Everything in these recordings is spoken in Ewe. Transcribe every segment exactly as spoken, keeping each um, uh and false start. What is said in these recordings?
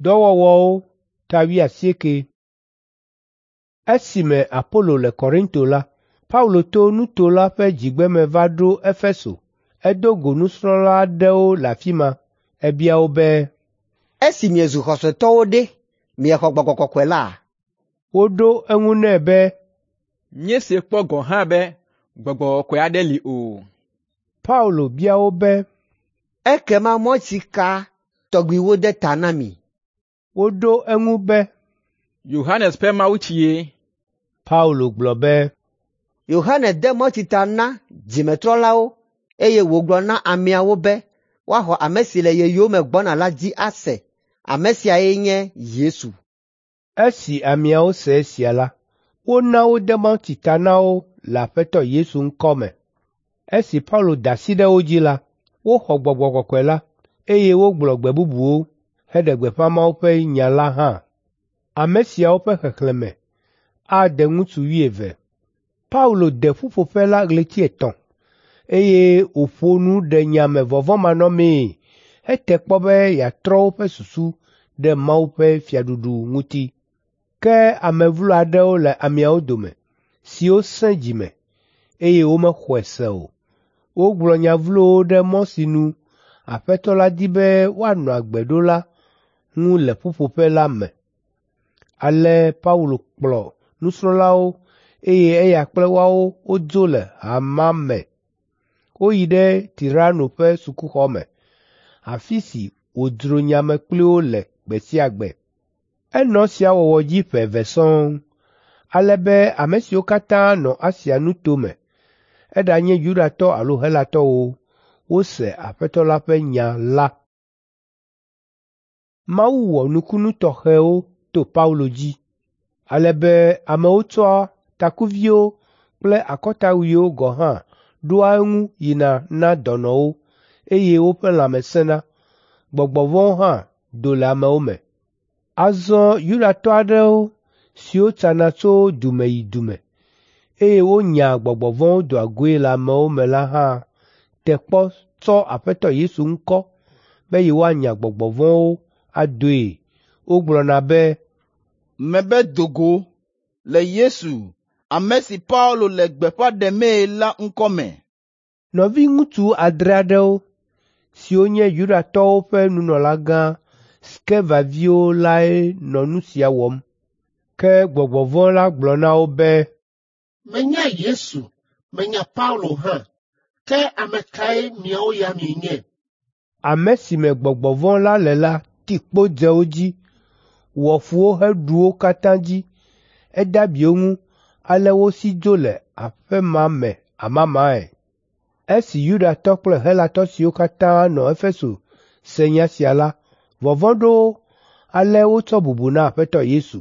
Dɔwɔwɔwo ta wuiasieke. Esime Apolo le Korinto la, Paulo to nuto la ƒe dzigbeme va ɖo Efeso. Edo go nusrɔ̃la aɖewo le afi ma. Ebia wo be, “Esi miezu xɔsetɔwo ɖe, miexɔ Gbɔgbɔ Kɔkɔe la?” Woɖo eŋu nɛ be, “Míesee kpɔ gɔ̃ hã be Gbɔgbɔ Kɔkɔe aɖe li o.” Paulo bia wo be, “Ekema mawutsi ka tɔgbi wode ta na mi?” Woɖo eŋu be, “Yohanes ƒe mawutsie.” Paulo gblɔ be, “Yohanes de mawutsi ta na dzimetrɔlawo eye wògblɔ na ameawo be woaxɔ ame si le ye yome gbɔna la dzi ase. Ame siae nye Yesu.” Esi ameawo se esia la, wona wode mawutsi ta na wo le Aƒetɔ Yesu ŋkɔ me. Esi Paulo da asi ɖe wo dzi la, woxɔ Gbɔgbɔ Kɔkɔe la, eye wogblɔ gbe bubuwo heɖe gbeƒã Mawu ƒe nya la hã. Ame siawo ƒe xexlẽme ade ŋutsu wuieve. Paulo de ƒuƒoƒe la ɣleti etɔ̃, eye wòƒo nu ɖe nya me vɔvɔ̃manɔmee hete kpɔ be yeatrɔ woƒe susu ɖe Mawu ƒe fiaɖuɖu ŋuti. Ke ame vlo aɖewo le ameawo dome, siwo sẽ dzime, eye womexɔe se o. Wogblɔ nya vlowo ɖe mɔ si nu Aƒetɔ la di be woanɔ agbe ɖo la ŋu le ƒuƒoƒe la me. Ale Paulo kplɔ nusrɔ̃lawo eye eya kple woawo wodzo le ha me. Woyi ɖe Tirano ƒe sukuxɔ me, afi si wòdzro nya me kpli wo le gbe sia gbe. Enɔ esia wɔwɔ dzi ƒe eve sɔŋ, ale be ame siwo katã nɔ Asia nuto me, eɖanye Yudatɔ alo Helatɔwo, wose Aƒetɔ la ƒe nya la. Mawu wɔ nukunu tɔxɛwo to Paulo dzi, ale be amewo tsɔa takuviwo kple akɔtawuiwo gɔ̃ hã ɖoa eŋu yina na dɔnɔwo, eye woƒe lãme sẽna. Gbɔgbɔ vɔ̃wo hã do le amewo me. Azɔ Yudatɔ aɖewo siwo tsana tso du me yi du me, eye wonyaa gbɔgbɔ vɔ̃wo doa goe le amewo me la hã te kpɔ tsɔ Aƒetɔ Yesu ŋkɔ be yewoanya gbɔgbɔ vɔ̃wo adoe. Wogblɔna be, “Mebe do go le Yesu, ame si Paulo le gbeƒã ɖemee la ŋkɔ me.” Nɔviŋutsu adre aɖewo, siwo nye Yudatɔwo ƒe nunɔlagã Skeva viwo lae nɔ nu sia wɔm. Ke gbɔgbɔ vɔ̃ la gblɔ na wo be, “Menya Yesu, menya Paulo hã, ke ame kae miawo ya mienye?” Ame si me gbɔgbɔ vɔ̃ la le la ti kpo dze wo dzi, wɔ fu wo heɖu wo katã dzi. Ede abi wo ŋu, ale wosi dzo le aƒe ma me amamae. Esi Yudatɔ kple Helatɔ siwo katã nɔ Efeso se nya sia la, vɔvɔ̃ ɖo wo, ale wotsɔ bubu na Aƒetɔ Yesu.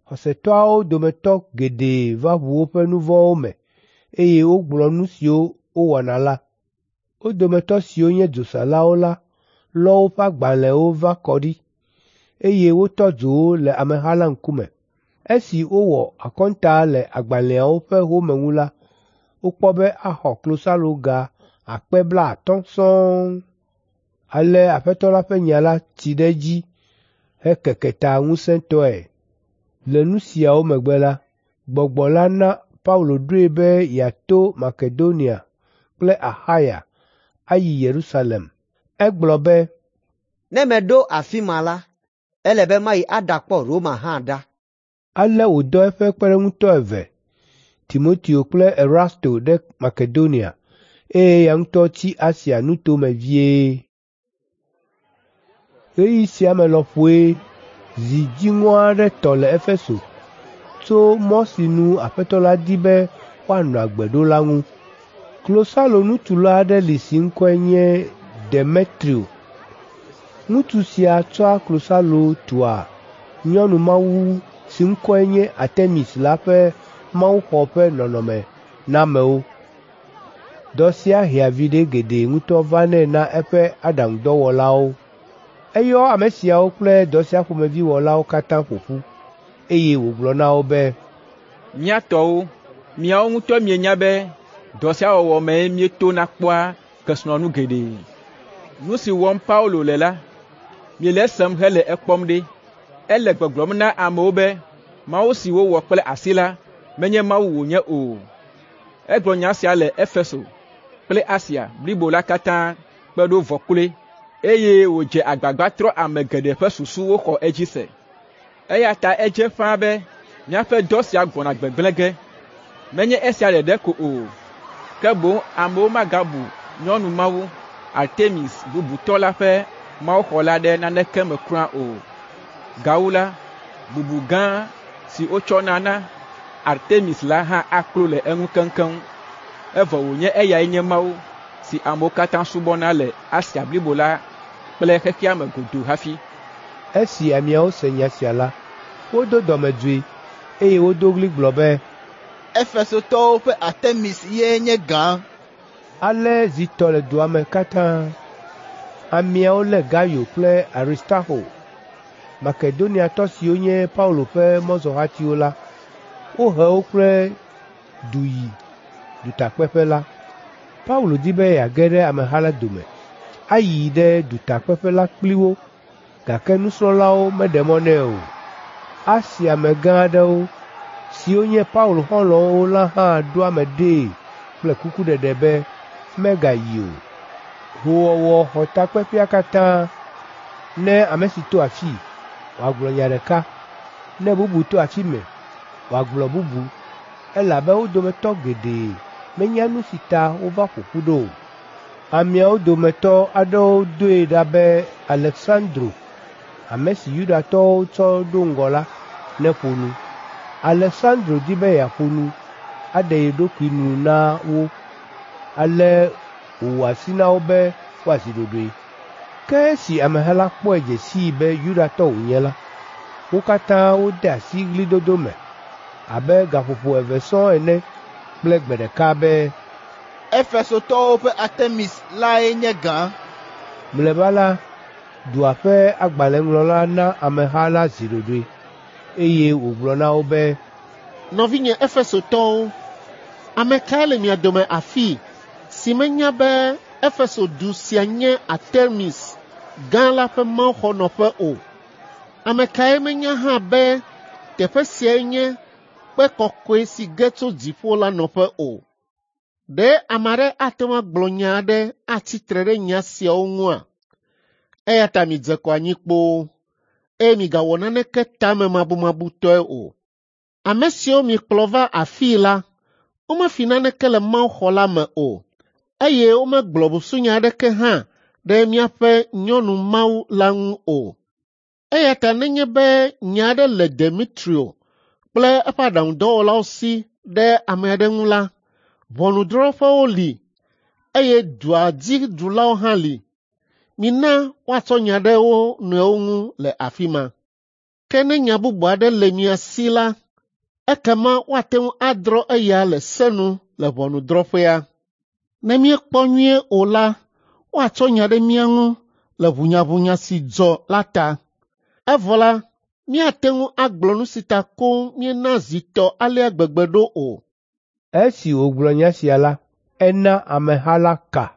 Xɔsetɔawo dometɔ geɖe va ʋu woƒe nu vɔ̃wo me, eye wogblɔ nu siwo wowɔna la. Wo dometɔ siwo nye dzosalawo la lɔ woƒe agbalẽwo va kɔ ɖi, eye wotɔ dzo wo le ameha la ŋkume. Esi wowɔ akɔnta le agbalẽawo ƒe home ŋu la, wokpɔ be axɔ klosaloga akpe blaatɔ̃ sɔŋ. Ale Aƒetɔ la ƒe nya la tsi ɖe edzi hekeke ta ŋusẽtɔe. Le nu siawo megbe la, Gbɔgbɔ la na Paulo ɖoe be yeato Makedonia kple Axaya ayi Yerusalem. Egblɔ be, “Ne meɖo afi ma la, ele be mayi aɖakpɔ Roma hã ɖa.” Ale wòdɔ eƒe kpeɖeŋutɔ eve, Timoteo kple Erasto ɖe Makedonia, eye eya ŋutɔ tsi Asia nutome vie. Ɣeyiɣi sia me lɔƒoe zi dziŋɔ aɖe tɔ le Efeso tso mɔ si nu Aƒetɔ la di be woanɔ agbe ɖo la ŋu. Klosalonutula aɖe li si ŋkɔe nye Demetrio. Ŋutsu sia tsɔa klosalo tua nyɔnumawu si ŋkɔe nye Artemis la ƒe mawuxɔ ƒe nɔnɔme na amewo. Dɔ sia hea viɖe geɖe ŋutɔ vanɛ na eƒe aɖaŋudɔwɔlawo. Eyɔ ame siawo kple dɔ sia ƒomevi wɔlawo katã ƒo ƒu, eye wògblɔ na wo be, “Mía tɔwo, miawo ŋutɔ mienya be dɔ sia wɔwɔ mee míetona kpɔa kesinɔnu geɖe. Nu si wɔm Paulo le la, Miele esem hele ekpɔm ɖe. Ele gbɔgblɔm na amewo be Mawu si wowɔ kple asi la menye Mawu wònye o. Egblɔ nya sia le Efeso kple Asia blibo la katã kpe ɖo vɔ kloe, eye wòdze agbagba trɔ ame geɖe ƒe susu woxɔ edzi se. Eya ta edze ƒãa be míaƒe dɔ sia gbɔna gbegblẽ ge. Menye esia ɖeɖe ko o, ke boŋ amewo magabu nyɔnu mawu Artemis bubutɔ la ƒe mawuxɔ la ɖe naneke me kura o. Gawu la, bubu gã si wotsɔna na Artemis la hã aklo le eŋu keŋkeŋ, evɔ wònye eyae nye mawu si amewo katã subɔna le Asia blibo la kple xexea me godoo hafi. Esi ameawo se nya sia la, wodo dɔmedzoe, eye wodo ɣli gblɔ be, Efesotɔwo ƒe Artemis ye nye gã. Ale zi tɔ le dua me katã. Ameawo lé Gayo kple Aristarxo, Makedoniatɔ siwo nye Paulo ƒe mɔzɔhatiwo la, wohe wo kple du yi dutakpeƒe la. Paulo di be yeage ɖe ameha la dome, ayi ɖe dutakpeƒe la kpli wo, gake nusrɔ̃lawo meɖe mɔ nɛ o. Asia amegã aɖewo, siwo nye Paulo xɔlɔ̃wo la hã ɖo ame ɖee kple kukuɖeɖe be megayi o. Hoowɔwɔ xɔ takpeƒea katã ne ame si to afii, wòagblɔ nya ɖeka, ne bubu to afi mɛ, wòagblɔ bubu, elabe wo dometɔ geɖe menya nu si ta wova ƒo ƒu ɖo o. Ameawo dometɔ aɖewo doe ɖa be Aleksandro, ame si Yudatɔwo tsɔ ɖo ŋgɔ la, neƒo nu. Aleksandro di be yeaƒo nu, aɖe ye ɖokui nu na wo, ale wòwɔ asi na wo be woazi ɖoɖoe. Ke esi ameha la kpɔe dze sii be Yudatɔ wònye la, wo katã wode asi ɣlidodo me abe gaƒoƒo eve sɔŋ ene kple gbe ɖeka be, Efesotɔwo ƒe Artemis lae nye gã. Mlɔeba la, dua ƒe agbalẽŋlɔla na ameha la zi ɖoɖoe, eye wògblɔ na wo be, Nɔvinye Efesotɔwo, ame kae le mia dome afii si menya be Efeso du sia nye Artemis gã la ƒe mawuxɔnɔƒe o? Ame kae menya hã be teƒe siae nye kpe kɔkɔe si ge tso dziƒo la nɔƒe o? Ɖe ame aɖe ate ŋu agblɔ nya aɖe atsi tre ɖe nya siawo ŋua? Eya ta midze kɔ anyi kpoo, eye migawɔ naneke tamemabumabutɔe o. Ame siwo miekplɔ va afii la, womefi naneke le mawuxɔ la me o, eye womegblɔ busunya aɖeke hã ɖe míaƒe nyɔnu mawu la ŋu o. Eya ta nenye be nya aɖe le Demetrio kple eƒe aɖaŋudɔwɔlawo si ɖe ame aɖe ŋu la, ʋɔnudrɔ̃ƒewo li, eye dua dzi ɖulawo hã li. Mina woatsɔ nya ɖe wo nɔewo ŋu le afi ma. Ke ne nya bubu aɖe le mia si la, ekema woate ŋu adrɔ̃ eya le se nu le ʋɔnudrɔ̃ƒea. Ne míekpɔ nyuie o la, woatsɔ nya ɖe mía ŋu le ʋunyaʋunya si dzɔ la ta. Evɔ la, míate ŋu agblɔ nu si ta koŋ míena zi tɔ alea gbegbe ɖo o. Esi wògblɔ nya sia la, ena ameha la ka.